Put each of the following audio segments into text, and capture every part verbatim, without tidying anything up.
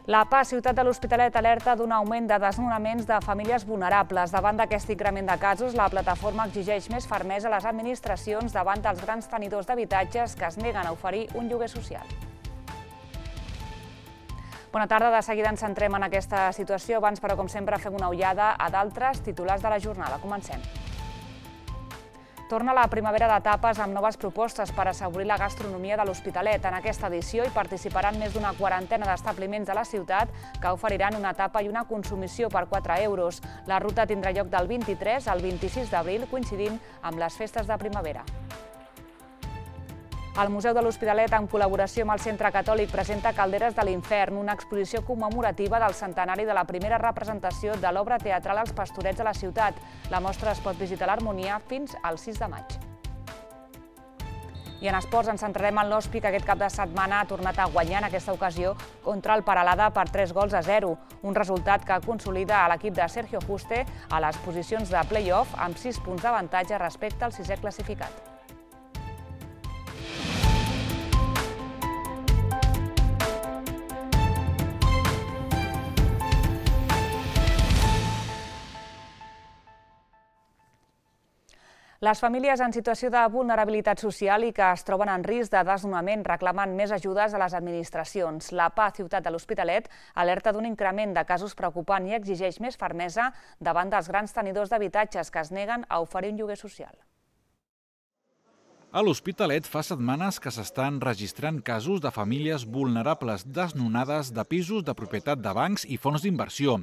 La P A, ciutat de l'Hospitalet, alerta d'un augment de desnonaments de famílies vulnerables. Davant d'aquest increment de casos, la plataforma exigeix més fermesa a les administracions davant dels grans tenidors d'habitatges que es neguen a oferir un lloguer social. Bona tarda, de seguida ens centrem en aquesta situació. Abans, però, com sempre, fem una ullada a d'altres titulars de la jornada. Comencem. Torna la primavera de tapes amb noves propostes per assaborir la gastronomia de l'Hospitalet. En aquesta edició hi participaran més d'una quarantena d'establiments de la ciutat que oferiran una tapa i una consumició per quatre euros. La ruta tindrà lloc del vint-i-tres al vint-i-sis d'abril, coincidint amb les festes de primavera. El Museu de l'Hospitalet, en col·laboració amb el Centre Catòlic, presenta Calderes de l'Infern, una exposició commemorativa del centenari de la primera representació de l'obra teatral als Pastorets de la ciutat. La mostra es pot visitar a l'Harmonia fins al sis de maig. I en esports ens centrarem en l'Hospi, que aquest cap de setmana ha tornat a guanyar en aquesta ocasió contra el Peralada per tres gols a zero. Un resultat que consolida a l'equip de Sergio Juste a les posicions de play-off amb sis punts d'avantatge respecte al sisè classificat. Les famílies en situació de vulnerabilitat social i que es troben en risc de desnonament reclamen més ajudes a les administracions. La P A, ciutat de l'Hospitalet, alerta d'un increment de casos preocupant i exigeix més fermesa davant dels grans tenidors d'habitatges que es neguen a oferir un lloguer social. A l'Hospitalet fa setmanes que s'estan registrant casos de famílies vulnerables desnonades de pisos de propietat de bancs i fons d'inversió.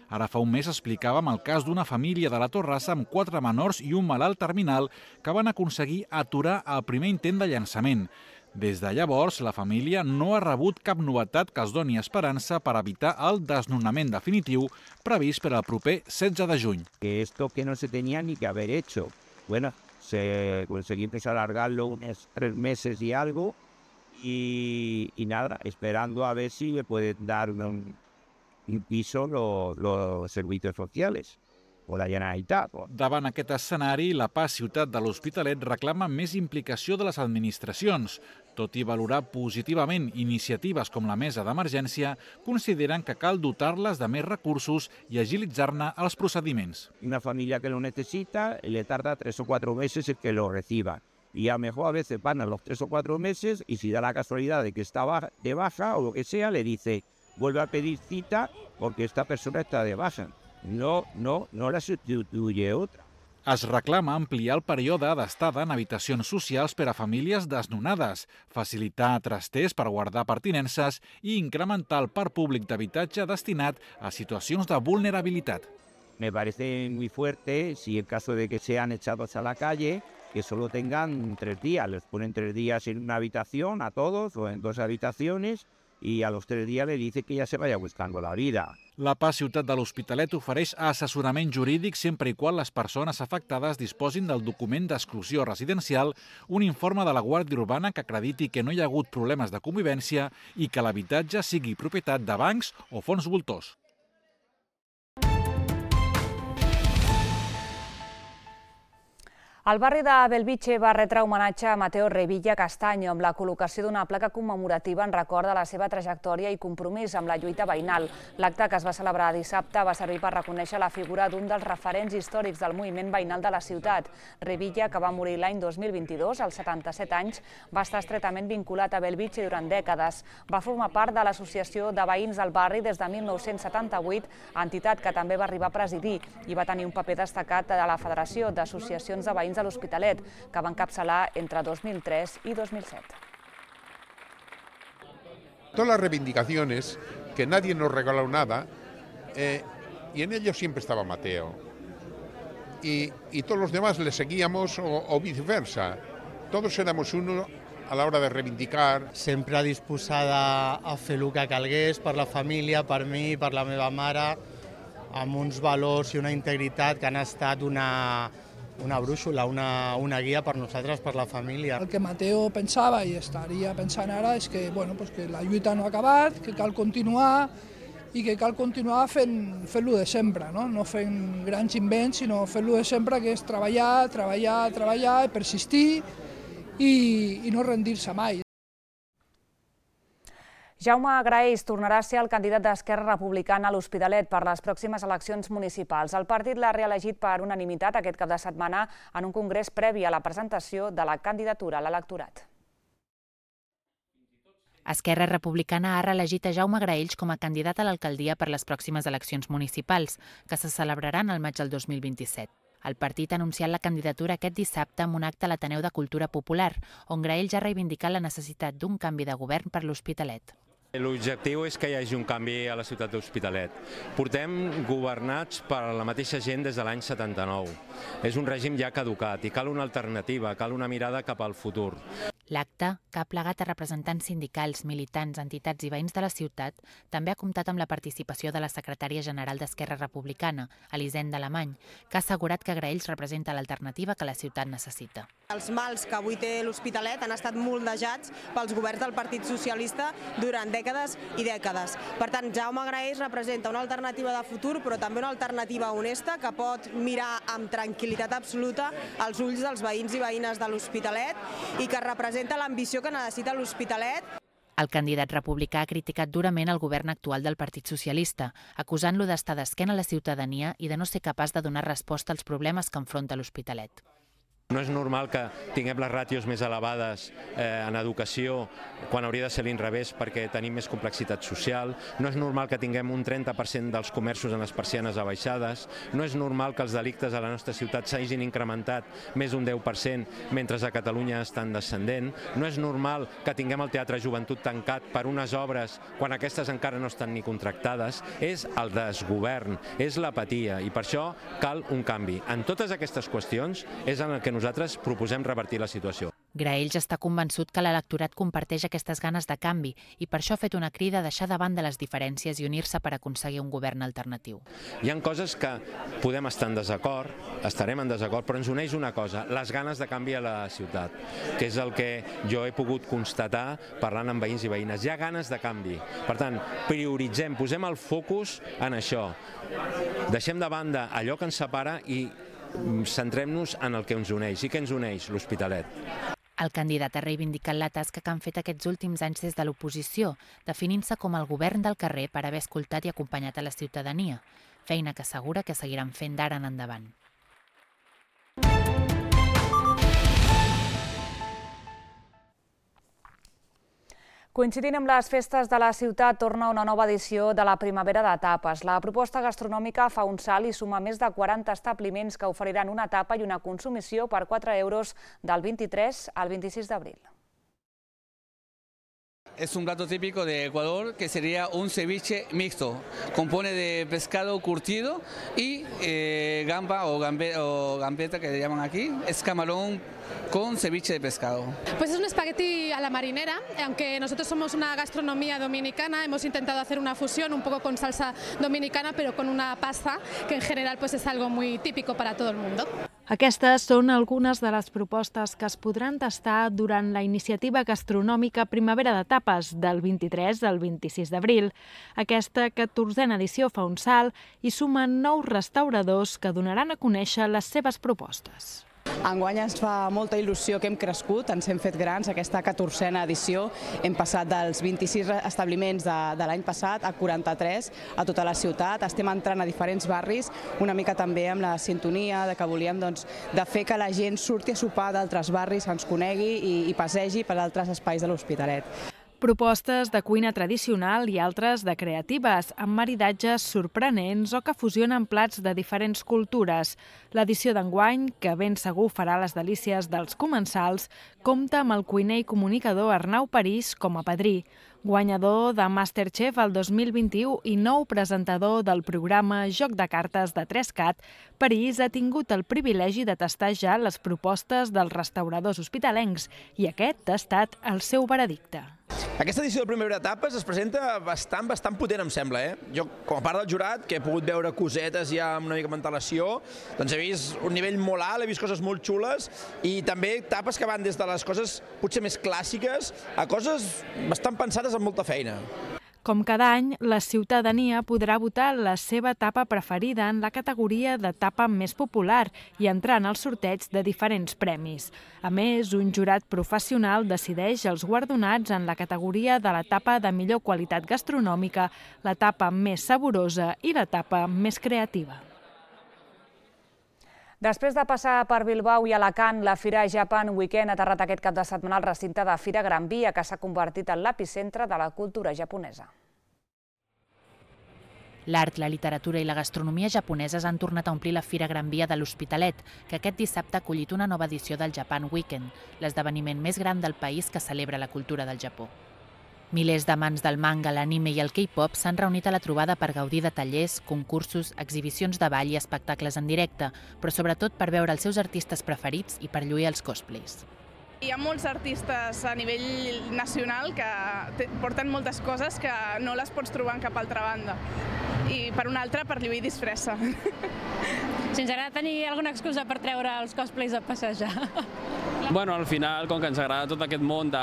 Ara fa un mes explicàvem el cas d'una família de la Torrassa amb quatre menors i un malalt terminal que van aconseguir aturar el primer intent de llançament. Des de llavors, la família no ha rebut cap novetat que els doni esperança per evitar el desnonament definitiu previst per al proper setze de juny. Que esto que no se tenía ni que haber hecho. Bueno, se conseguimos alargarlo unos tres meses y algo y, y nada, esperando a ver si me pueden dar un... un piso los, los servicios sociales o la Generalitat. Davant aquest escenari, la P A, ciutat de l'Hospitalet, reclama més implicació de les administracions. Tot i valorar positivament iniciatives com la mesa d'emergència, consideren que cal dotar-les de més recursos i agilitzar-ne els procediments. Una familia que lo necesita le tarda tres o cuatro meses en que lo reciba. Y a lo mejor a veces van a los tres o cuatro meses y si da la casualidad de que está de baja o lo que sea, le dice vuelve a pedir cita porque esta persona está de baja. No, no, no la sustituye otra. Es reclama ampliar el període d'estada en habitacions socials per a famílies desnonades, facilitar trasters per guardar pertinences i incrementar el parc públic d'habitatge destinat a situacions de vulnerabilitat. Me parece muy fuerte si en caso de que sean echados a la calle, que solo tengan tres días. Les ponen tres días en una habitación a todos o en dos habitaciones i a los tres días le dice que ya se vaya buscando la vida. La P A, ciutat de l'Hospitalet, ofereix assessorament jurídic sempre i quan les persones afectades disposin del document d'exclusió residencial, un informe de la Guàrdia Urbana que acrediti que no hi ha hagut problemes de convivència i que l'habitatge sigui propietat de bancs o fons voltors. El barri de Belvitge va retre homenatge a Mateo Revilla Castaño amb la col·locació d'una placa commemorativa en record de la seva trajectòria i compromís amb la lluita veïnal. L'acte que es va celebrar dissabte va servir per reconèixer la figura d'un dels referents històrics del moviment veïnal de la ciutat. Revilla, que va morir l'any dos mil vint-i-dos, als setanta-set anys, va estar estretament vinculat a Belvitge durant dècades. Va formar part de l'Associació de Veïns del Barri des de mil nou-cents setanta-vuit, entitat que també va arribar a presidir, i va tenir un paper destacat de la Federació d'Associacions de Veïns de l'Hospitalet, que va encapçalar entre dos mil tres i dos mil set. Todas las reivindicaciones, que nadie nos regaló nada, eh, y en ello siempre estaba Mateo. Y, y todos los demás le seguíamos o, o viceversa. Todos éramos uno a la hora de reivindicar. Sempre disposada a fer el que calgués per la família, per mi, per la meva mare, amb uns valors i una integritat que han estat una... una brúixola, una, una guia per nosaltres, per la família. El que Mateo pensava i estaria pensant ara és que, bueno, pues que la lluita no ha acabat, que cal continuar i que cal continuar fent, fent-lo de sempre, no? No fent grans invents, sinó fent-lo de sempre, que és treballar, treballar, treballar, persistir i, i no rendir-se mai. Jaume Graells tornarà a ser el candidat d'Esquerra Republicana a l'Hospitalet per les pròximes eleccions municipals. El partit l'ha reelegit per unanimitat aquest cap de setmana en un congrés previ a la presentació de la candidatura a l'electorat. Esquerra Republicana ha reelegit a Jaume Graells com a candidat a l'alcaldia per les pròximes eleccions municipals, que se celebraran al maig del dos mil vint-i-set. El partit ha anunciat la candidatura aquest dissabte amb un acte a l'Ateneu de Cultura Popular, on Graells ha reivindicat la necessitat d'un canvi de govern per l'Hospitalet. L'objectiu és que hi hagi un canvi a la ciutat de l'Hospitalet. Portem governats per la mateixa gent des de l'any setanta-nou. És un règim ja caducat i cal una alternativa, cal una mirada cap al futur. L'acte, que ha plegat a representants sindicals, militants, entitats i veïns de la ciutat, també ha comptat amb la participació de la secretària general d'Esquerra Republicana, Elisenda Alemany, que ha assegurat que Graells representa l'alternativa que la ciutat necessita. Els mals que avui té l'Hospitalet han estat moldejats pels governs del Partit Socialista durant dècades i dècades. Per tant, Jaume Graells representa una alternativa de futur, però també una alternativa honesta que pot mirar amb tranquil·litat absoluta als ulls dels veïns i veïnes de l'Hospitalet i que representa l'ambició que necessita l'Hospitalet. El candidat republicà ha criticat durament el govern actual del Partit Socialista, acusant-lo d'estar d'esquena a la ciutadania i de no ser capaç de donar resposta als problemes que enfronta l'Hospitalet. No és normal que tinguem les ràtios més elevades en educació quan hauria de ser l'inrevés perquè tenim més complexitat social. No és normal que tinguem un trenta per cent dels comerços en les persianes abaixades. No és normal que els delictes a la nostra ciutat s'hagin incrementat més d'un deu per cent mentre a Catalunya estan descendent. No és normal que tinguem el Teatre Joventut tancat per unes obres quan aquestes encara no estan ni contractades. És el desgovern, és l'apatia i per això cal un canvi. En totes aquestes qüestions és en el que nosaltres proposem revertir la situació. Graells està convençut que l'electorat comparteix aquestes ganes de canvi i per això ha fet una crida a deixar de banda les diferències i unir-se per aconseguir un govern alternatiu. Hi ha coses que podem estar en desacord, estarem en desacord, però ens uneix una cosa, les ganes de canvi a la ciutat, que és el que jo he pogut constatar parlant amb veïns i veïnes. Hi ha ganes de canvi. Per tant, prioritzem, posem el focus en això. Deixem de banda allò que ens separa i centrem-nos en el que ens uneix. I què ens uneix? L'Hospitalet. El candidat ha reivindicat la tasca que han fet aquests últims anys des de l'oposició, definint-se com el govern del carrer per haver escoltat i acompanyat a la ciutadania, feina que assegura que seguiran fent d'ara en endavant. Coincidint amb les festes de la ciutat, torna una nova edició de la primavera de tapes. La proposta gastronòmica fa un salt i suma més de quaranta establiments que oferiran una tapa i una consumició per quatre euros del vint-i-tres al vint-i-sis d'abril. Es un plato típico de Ecuador que sería un ceviche mixto. Compone de pescado curtido y eh, gamba o, gambe, o gambeta que le llaman aquí. Es camarón con ceviche de pescado. Pues es un espagueti a la marinera, aunque nosotros somos una gastronomía dominicana, hemos intentado hacer una fusión un poco con salsa dominicana, pero con una pasta que en general pues es algo muy típico para todo el mundo. Aquestes són algunes de les propostes que es podran tastar durant la iniciativa gastronòmica Primavera de Tapes del vint-i-tres al vint-i-sis d'abril. Aquesta catorzena edició fa un salt i sumen nous restauradors que donaran a conèixer les seves propostes. Enguany ens fa molta il·lusió que hem crescut, ens hem fet grans, aquesta catorzena edició. Hem passat dels vint-i-sis establiments de, de l'any passat a quaranta-tres a tota la ciutat. Estem entrant a diferents barris, una mica també amb la sintonia de que volíem doncs, de fer que la gent surti a sopar d'altres barris, ens conegui i, i passegi per altres espais de l'Hospitalet. Propostes de cuina tradicional i altres de creatives, amb maridatges sorprenents o que fusionen plats de diferents cultures. L'edició d'enguany, que ben segur farà les delícies dels comensals, compta amb el cuiner i comunicador Arnau París com a padrí. Guanyador de Masterchef el dos mil vint-i-u i nou presentador del programa Joc de Cartes de tres cat, París ha tingut el privilegi de tastar ja les propostes dels restauradors hospitalencs i aquest ha estat el seu veredicte. Aquesta edició de Primavera de Tapes es presenta bastant, bastant potent, em sembla. Eh? Jo, com a part del jurat, que he pogut veure cosetes ja amb una mica de antelació, doncs he vist un nivell molt alt, he vist coses molt xules i també tapes que van des de les coses potser més clàssiques a coses bastant pensades amb molta feina. Com cada any, la ciutadania podrà votar la seva etapa preferida en la categoria d'etapa més popular i entrar en el sorteig de diferents premis. A més, un jurat professional decideix els guardonats en la categoria de l'etapa de millor qualitat gastronòmica, l'etapa més saborosa i l'etapa més creativa. Després de passar per Bilbao i Alacant, la Fira Japan Weekend ha aterrat aquest cap de setmana al recinte de Fira Gran Via, que s'ha convertit en l'epicentre de la cultura japonesa. L'art, la literatura i la gastronomia japoneses han tornat a omplir la Fira Gran Via de l'Hospitalet, que aquest dissabte ha acollit una nova edició del Japan Weekend, l'esdeveniment més gran del país que celebra la cultura del Japó. Milers d'amants del manga, l'anime i el K-pop s'han reunit a la trobada per gaudir de tallers, concursos, exhibicions de ball i espectacles en directe, però sobretot per veure els seus artistes preferits i per lluir els cosplays. Hi ha molts artistes a nivell nacional que porten moltes coses que no les pots trobar en cap altra banda. I per una altra, per lluir disfressa. Si ens agrada tenir alguna excusa per treure els cosplays a passejar. Bueno, al final, com que ens agrada tot aquest món de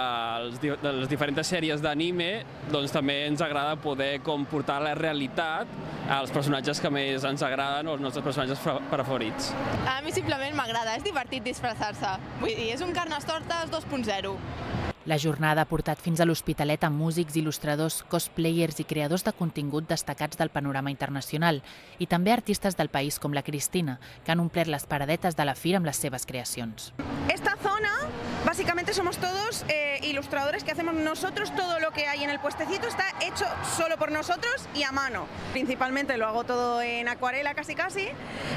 les diferents sèries d'anime, doncs també ens agrada poder portar la realitat als personatges que més ens agraden o els nostres personatges preferits. A mi simplement m'agrada, és divertit disfressar-se. Vull dir, és un Carnestoltes dos punt zero. La jornada ha portat fins a l'Hospitalet amb músics, il·lustradors, cosplayers i creadors de contingut destacats del panorama internacional i també artistes del país com la Cristina, que han omplert les paradetes de la fira amb les seves creacions. Esta zona, básicamente somos todos eh, ilustradores que hacemos nosotros, todo lo que hay en el puestecito está hecho solo por nosotros y a mano. Principalmente lo hago todo en acuarela casi casi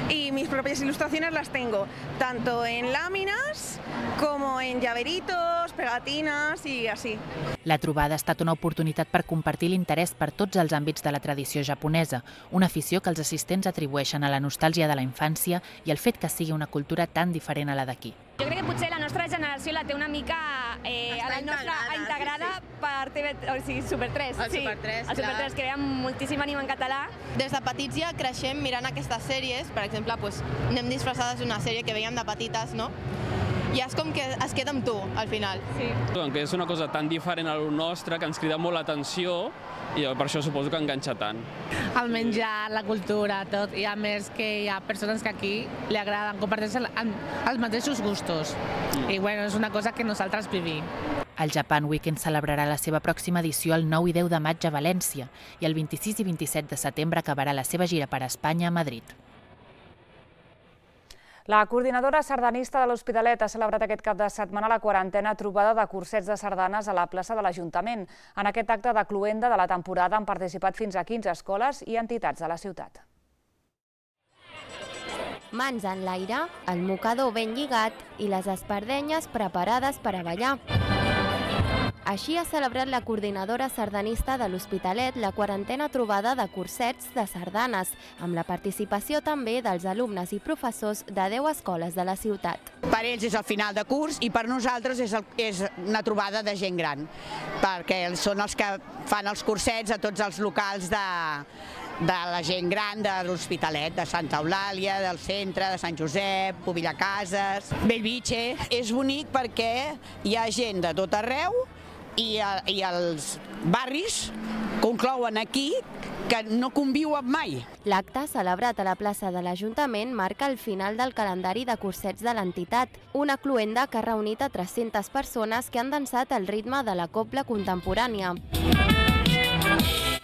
y mis propias ilustraciones las tengo tanto en láminas como en llaveritos, pegatinas i així. La trobada ha estat una oportunitat per compartir l'interès per tots els àmbits de la tradició japonesa, una afició que els assistents atribueixen a la nostàlgia de la infància i al fet que sigui una cultura tan diferent a la d'aquí. Jo crec que potser la nostra generació la té una mica eh, a la nostra integrada sí, sí. per T V, o sigui, Super tres. El sí, Super tres, el Super tres, que veiem moltíssim anime en català. Des de petits ja creixem mirant aquestes sèries, per exemple, pues, anem disfressades d'una sèrie que veiem de petites, no? I és com que es queda amb tu, al final. Sí. Que és una cosa tan diferent a lo nostre que ens crida molt l'atenció i per això suposo que enganxa tant. El menjar, la cultura, tot, i a més que hi ha persones que aquí li agraden, comparteixen els mateixos gustos. I bueno, és una cosa que nosaltres vivim. El Japan Weekend celebrarà la seva pròxima edició el nou i deu de maig a València i el vint-i-sis i vint-i-set de setembre acabarà la seva gira per Espanya a Madrid. La coordinadora sardanista de l'Hospitalet ha celebrat aquest cap de setmana la quarantena trobada de cursets de sardanes a la plaça de l'Ajuntament. En aquest acte de cloenda de la temporada han participat fins a quinze escoles i entitats de la ciutat. Mans en l'aire, el mocador ben lligat i les espardenyes preparades per a ballar. Així ha celebrat la coordinadora sardanista de l'Hospitalet la quarantena trobada de cursets de sardanes, amb la participació també dels alumnes i professors de deu escoles de la ciutat. Per ells és el final de curs i per nosaltres és, el, és una trobada de gent gran, perquè són els que fan els cursets a tots els locals de, de la gent gran de l'Hospitalet, de Santa Eulàlia, del centre, de Sant Josep, Povillacases, Bellvitge. És bonic perquè hi ha gent de tot arreu i, i els barris conclouen aquí que no conviuen mai. L'acte, celebrat a la plaça de l'Ajuntament, marca el final del calendari de cursets de l'entitat, una cloenda que ha reunit a tres-centes persones que han dansat al ritme de la cobla contemporània.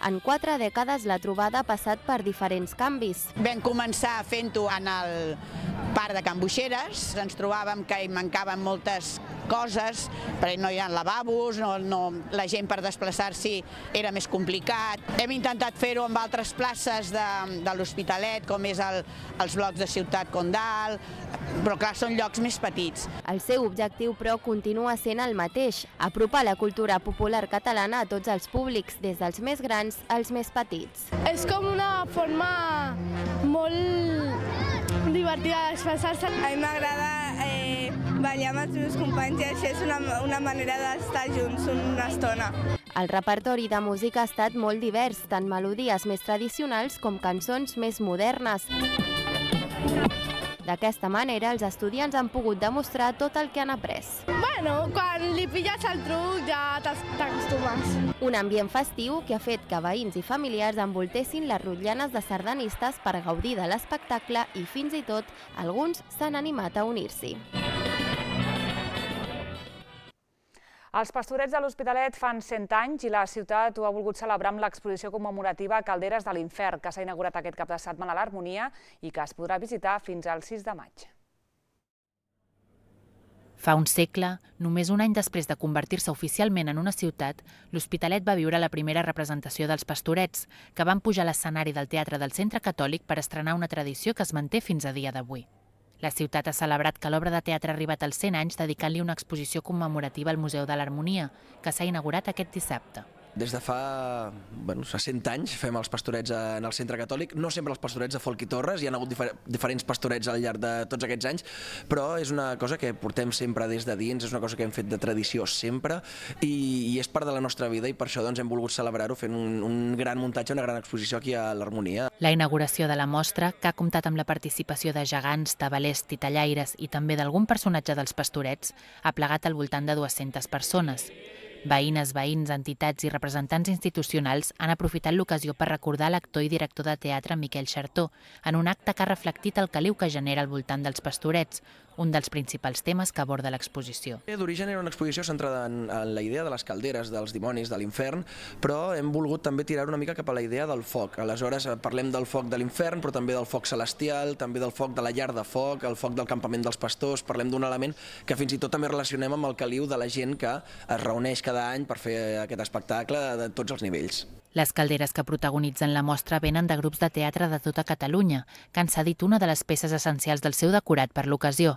En quatre dècades la trobada ha passat per diferents canvis. Vam començar fent-ho en el parc de Can Buixeres, ens trobàvem que hi mancaven moltes coses, perquè no hi ha lavabos, no, no, la gent per desplaçar-s'hi era més complicat. Hem intentat fer-ho amb altres places de, de l'Hospitalet, com és el, els blocs de Ciutat Condal, però clar, són llocs més petits. El seu objectiu, però, continua sent el mateix, apropar la cultura popular catalana a tots els públics, des dels més grans als més petits. És com una forma molt divertida d'expressar-se. A mi m'agrada eh, ballar amb els meus companys i això és una, una manera d'estar junts una estona. El repertori de música ha estat molt divers, tant melodies més tradicionals com cançons més modernes. D'aquesta manera, els estudiants han pogut demostrar tot el que han après. Bueno, quan li pilles el truc ja t'acostumes. Un ambient festiu que ha fet que veïns i familiars envoltessin les rotllanes de sardanistes per gaudir de l'espectacle i fins i tot alguns s'han animat a unir-s'hi. Els Pastorets de l'Hospitalet fan cent anys i la ciutat ho ha volgut celebrar amb l'exposició commemorativa Calderes de l'Infern, que s'ha inaugurat aquest cap de setmana a l'Harmonia i que es podrà visitar fins al sis de maig. Fa un segle, només un any després de convertir-se oficialment en una ciutat, l'Hospitalet va viure la primera representació dels Pastorets, que van pujar a l'escenari del Teatre del Centre Catòlic per estrenar una tradició que es manté fins a dia d'avui. La ciutat ha celebrat que l'obra de teatre ha arribat als cent anys dedicant-li una exposició commemorativa al Museu de l'Harmonia, que s'ha inaugurat aquest dissabte. Des de fa bueno, cent anys fem els Pastorets en el Centre Catòlic, no sempre els Pastorets de Folch i Torres, hi ha hagut difer diferents Pastorets al llarg de tots aquests anys, però és una cosa que portem sempre des de dins, és una cosa que hem fet de tradició sempre i, i és part de la nostra vida i per això doncs, hem volgut celebrar-ho fent un, un gran muntatge, una gran exposició aquí a l'Harmonia. La inauguració de la mostra, que ha comptat amb la participació de gegants, tabalers, titellaires i també d'algun personatge dels Pastorets, ha plegat al voltant de dues-centes persones. Veïnes, veïns, entitats i representants institucionals han aprofitat l'ocasió per recordar l'actor i director de teatre Miquel Xartó en un acte que ha reflectit el caliu que genera al voltant dels Pastorets, un dels principals temes que aborda l'exposició. D'origen era una exposició centrada en, en la idea de les calderes, dels dimonis, de l'infern, però hem volgut també tirar una mica cap a la idea del foc. Aleshores parlem del foc de l'infern, però també del foc celestial, també del foc de la llar de foc, el foc del campament dels pastors, parlem d'un element que fins i tot també relacionem amb el caliu de la gent que es reuneix cada any per fer aquest espectacle de tots els nivells. Les calderes que protagonitzen la mostra venen de grups de teatre de tota Catalunya, que han cedit una de les peces essencials del seu decorat per l'ocasió,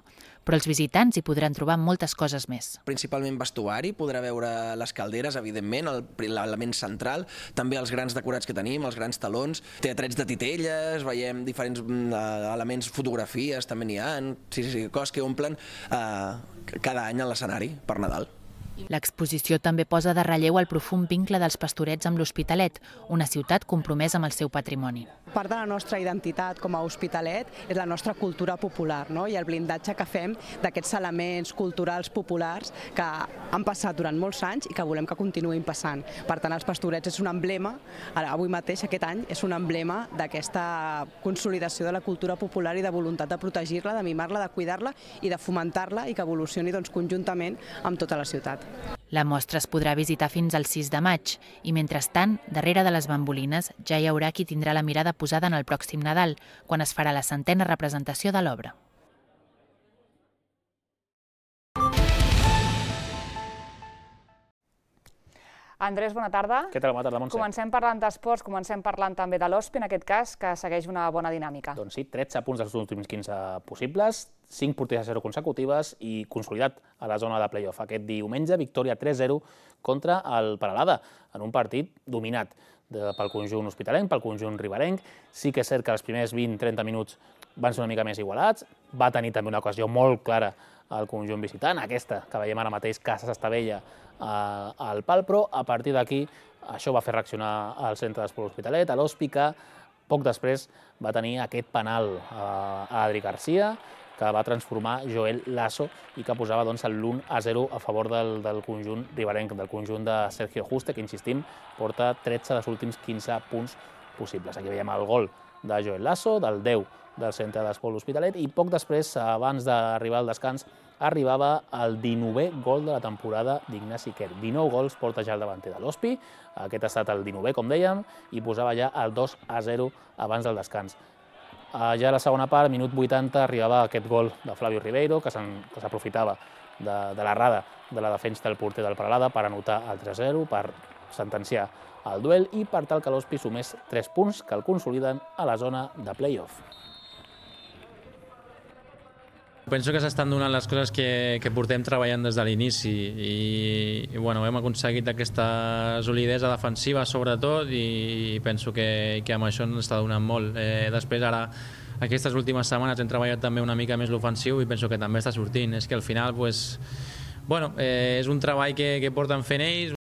però els visitants hi podran trobar moltes coses més. Principalment vestuari, podrà veure les calderes, evidentment, l'element central, també els grans decorats que tenim, els grans talons, teatrets de titelles, veiem diferents elements, fotografies, també n'hi ha, sí, sí, sí, coses que omplen eh, cada any a l'escenari per Nadal. L'exposició també posa de relleu el profund vincle dels Pastorets amb l'Hospitalet, una ciutat compromesa amb el seu patrimoni. Part de la nostra identitat com a Hospitalet és la nostra cultura popular, no? I el blindatge que fem d'aquests elements culturals populars que han passat durant molts anys i que volem que continuïn passant. Per tant, els Pastorets és un emblema, avui mateix, aquest any, és un emblema d'aquesta consolidació de la cultura popular i de voluntat de protegir-la, de mimar-la, de cuidar-la i de fomentar-la i que evolucioni doncs, conjuntament amb tota la ciutat. La mostra es podrà visitar fins al sis de maig i, mentrestant, darrere de les bambolines ja hi haurà qui tindrà la mirada posada en el pròxim Nadal, quan es farà la centena representació de l'obra. Andrés, bona tarda. Què tal? Bona tarda, Montse. Comencem parlant d'esports, comencem parlant també de l'Hospi, en aquest cas, que segueix una bona dinàmica. Doncs sí, tretze punts dels últims quinze possibles, cinc porteries a zero consecutives i consolidat a la zona de play-off. Aquest diumenge, victòria tres zero contra el Peralada, en un partit dominat pel conjunt hospitalenc, pel conjunt riberenc. Sí que és cert que els primers vint trenta minuts van ser una mica més igualats, va tenir també una ocasió molt clara al conjunt visitant, aquesta que veiem ara mateix, Casas Estavella, al pal, però a partir d'aquí això va fer reaccionar al centre d'esport Hospitalet, a l'Hospi, que poc després va tenir aquest penal a Adri Garcia, que va transformar Joel Lasso i que posava l'u a zero a favor del conjunt riberenc, del conjunt de Sergio Juste, que, insistim, porta tretze dels últims quinze punts possibles. Aquí veiem el gol de Joel Lasso, del deu del centre d'esport Hospitalet, i poc després, abans d'arribar al descans, arribava el dinovè gol de la temporada d'Ignasi Quer. dinou gols porta ja el davanter de l'Hospi, aquest ha estat el dinovè, com dèiem, i posava ja el dos a zero abans del descans. Ja a la segona part, minut vuitanta, arribava aquest gol de Flavio Ribeiro, que s'aprofitava de l'errada de la defensa del porter del Peralada per anotar el tres a zero, per sentenciar el duel i per tal que l'Hospi sumés tres punts que el consoliden a la zona de play-off. Penso que s'estan donant les coses que, que portem treballant des de l'inici i, i bueno, hem aconseguit aquesta solidesa defensiva sobretot i penso que, que amb això ens està donant molt. Eh, després ara, aquestes últimes setmanes hem treballat també una mica més l'ofensiu i penso que també està sortint. És que al final pues, bueno, eh, és un treball que, que porten fent ells.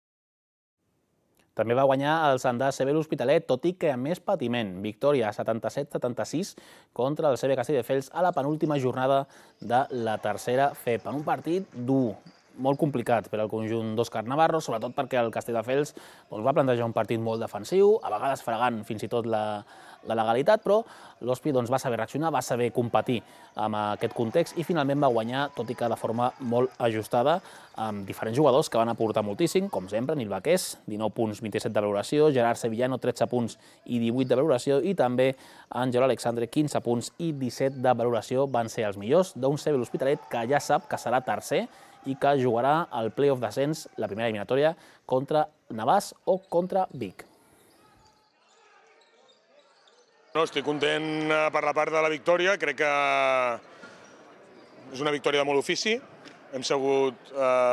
També va guanyar el Sandà C B l'Hospitalet, tot i que amb més patiment. Victòria setanta-set setanta-sis contra el C B Castelldefels a la penúltima jornada de la tercera F E P. En un partit dur, molt complicat per al conjunt d'Òscar Navarro, sobretot perquè el Castelldefels va plantejar un partit molt defensiu, a vegades fregant fins i tot la legalitat, però l'Hospi va saber reaccionar, va saber competir amb aquest context i finalment va guanyar, tot i que de forma molt ajustada, amb diferents jugadors que van aportar moltíssim, com sempre, Nil Baqués, dinou punts, vint-i-set de valoració, Gerard Sevillano, tretze punts i divuit de valoració, i també Àngel Alexandre, quinze punts i disset de valoració. Van ser els millors d'un C B l'Hospitalet que ja sap que serà tercer i que jugarà al play-off d'ascens, la primera eliminatòria, contra Navàs o contra Vic. No, estic content per la part de la victòria, crec que és una victòria de molt ofici, hem sabut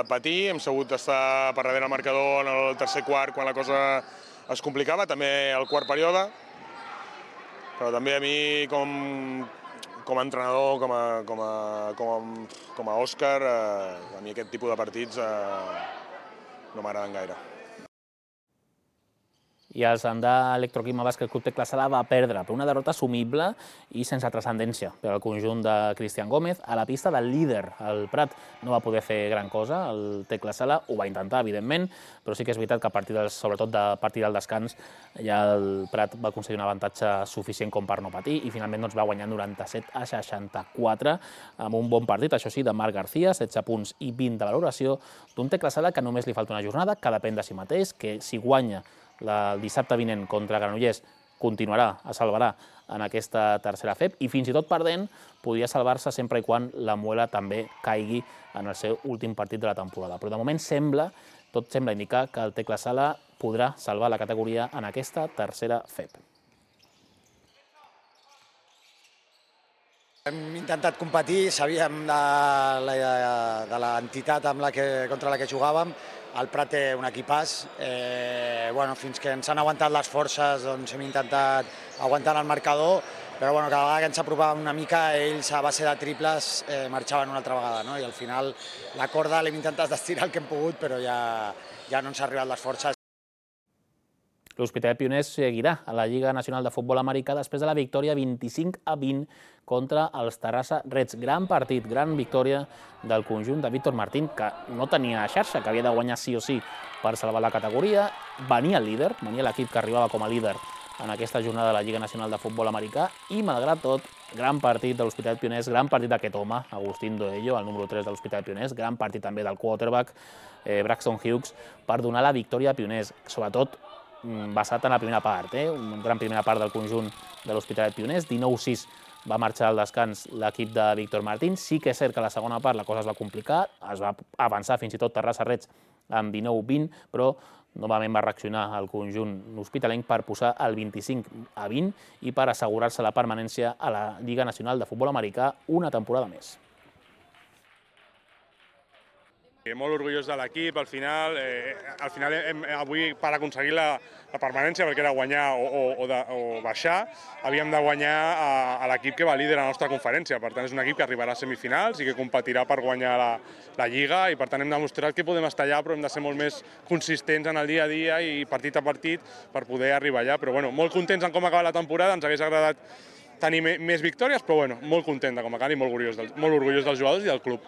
patir, hem sabut estar per darrere el marcador en el tercer quart quan la cosa es complicava, també al quart període, però també a mi com com a entrenador, com a, com a, com a, com a Òscar, a mi aquest tipus de partits no m'agraden gaire. I el Sandà Electroquima Bàsquet Club Tecla Sala va perdre per una derrota assumible i sense transcendència per al conjunt de Cristian Gómez a la pista del líder. El Prat no va poder fer gran cosa, el Tecla Sala ho va intentar, evidentment, però sí que és veritat que a partir del, sobretot a partir del descans ja el Prat va aconseguir un avantatge suficient com per no patir i finalment va guanyar noranta-set a seixanta-quatre amb un bon partit, això sí, de Marc García, setze punts i vint de valoració, d'un Tecla Sala que només li falta una jornada, que depèn de si mateix, que si guanya el dissabte vinent contra Granollers continuarà, es salvarà en aquesta tercera F E P i fins i tot perdent podria salvar-se sempre i quan la Muela també caigui en el seu últim partit de la temporada. Però de moment sembla, tot sembla indicar que el Tecla Sala podrà salvar la categoria en aquesta tercera F E P. Hem intentat competir, sabíem de l'entitat contra la que jugàvem. El Prat té un equipàs, fins que ens han aguantat les forces hem intentat aguantar el marcador, però cada vegada que ens apropàvem una mica ells a base de triples marxaven una altra vegada i al final la corda l'hem intentat estirar el que hem pogut però ja no ens han arribat les forces. L'Hospitalet Pioners seguirà a la Lliga Nacional de Futbol Americà després de la victòria vint-i-cinc a vint contra els Terrassa Reds. Gran partit, gran victòria del conjunt de Víctor Martín, que no tenia xarxa, que havia de guanyar sí o sí per salvar la categoria. Venia el líder, venia l'equip que arribava com a líder en aquesta jornada de la Lliga Nacional de Futbol Americà i, malgrat tot, gran partit de l'Hospitalet Pioners, gran partit d'aquest home, Agustín Doello, el número tres de l'Hospitalet Pioners, gran partit també del quarterback Braxton Hughes per donar la victòria a Pioners, sobretot basat en la primera part, una gran primera part del conjunt de l'Hospitalet Pioners, dinou sis va marxar al descans l'equip de Víctor Martín. Sí que és cert que a la segona part la cosa es va complicar, es va avançar fins i tot Terrassa Reds amb dinou vint, però novament va reaccionar el conjunt hospitalenc per posar el vint-i-cinc a vint i per assegurar-se la permanència a la Lliga Nacional de Futbol Americà una temporada més. Molt orgullós de l'equip, al final, al final avui per aconseguir la permanència, perquè era guanyar o baixar, havíem de guanyar a l'equip que va líder a la nostra conferència. Per tant, és un equip que arribarà a semifinals i que competirà per guanyar la Lliga i per tant hem demostrat que podem estar allà però hem de ser molt més consistents en el dia a dia i partit a partit per poder arribar allà. Però bueno, molt contents en com acaba la temporada, ens hagués agradat tenir més victòries, però bueno, molt content de com acaba i molt orgullós dels jugadors i del club.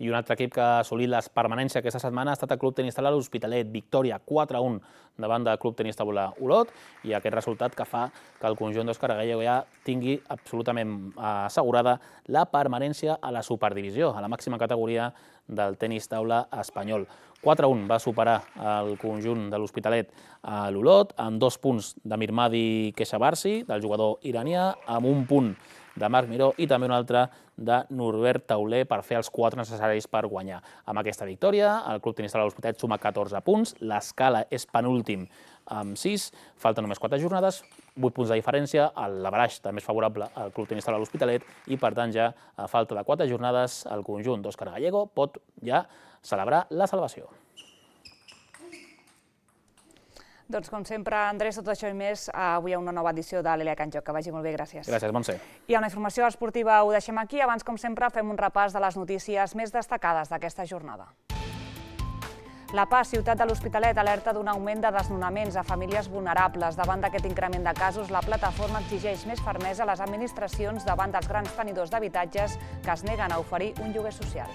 I un altre equip que ha assolit la permanència aquesta setmana ha estat el Club Tenis Taula l'Hospitalet, victòria quatre a un davant del Club Tenis Taula Olot, i aquest resultat que fa que el conjunt d'Òscar Gallego ja tingui absolutament assegurada la permanència a la superdivisió, a la màxima categoria del tenis taula espanyol. quatre a un va superar el conjunt de l'Hospitalet a l'Olot, amb dos punts de Mirmadi Keshavarsi, del jugador iranià, amb un punt de Marc Miró i també un altre de Norbert Tauler per fer els quatre necessaris per guanyar. Amb aquesta victòria, el Club Tenis Taula l'Hospitalet suma catorze punts, l'escala és penúltim amb sis, falten només quatre jornades, vuit punts de diferència, l'averaix també és favorable al Club Tenis Taula l'Hospitalet i per tant ja a falta de quatre jornades el conjunt d'Òscar Gallego pot ja celebrar la salvació. Doncs, com sempre, Andrés, tot això i més, avui hi ha una nova edició de l'Elia Can Joc. Que vagi molt bé, gràcies. Gràcies, Montse. I amb la informació esportiva ho deixem aquí. Abans, com sempre, fem un repàs de les notícies més destacades d'aquesta jornada. La Paz, ciutat de l'Hospitalet, alerta d'un augment de desnonaments a famílies vulnerables. Davant d'aquest increment de casos, la plataforma exigeix més fermesa a les administracions davant dels grans tenidors d'habitatges que es neguen a oferir un lloguer social.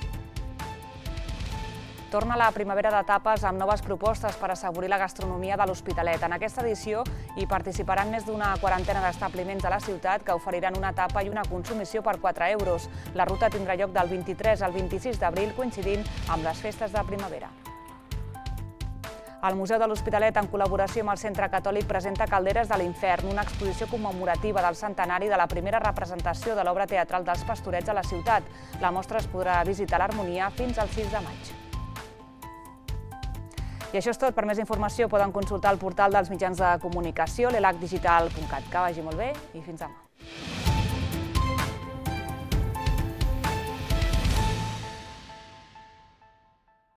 Torna la primavera de tapes amb noves propostes per assaborir la gastronomia de l'Hospitalet. En aquesta edició hi participaran més d'una quarantena d'establiments de la ciutat que oferiran una tapa i una consumició per quatre euros. La ruta tindrà lloc del vint-i-tres al vint-i-sis d'abril, coincidint amb les festes de primavera. El Museu de l'Hospitalet, en col·laboració amb el Centre Catòlic, presenta Calderes de l'Infern, una exposició commemorativa del centenari de la primera representació de l'obra teatral dels Pastorets a la ciutat. La mostra es podrà visitar a l'Harmonia fins al sis de maig. I això és tot. Per més informació poden consultar el portal dels mitjans de comunicació, l'elac digital punt cat. Que vagi molt bé i fins demà.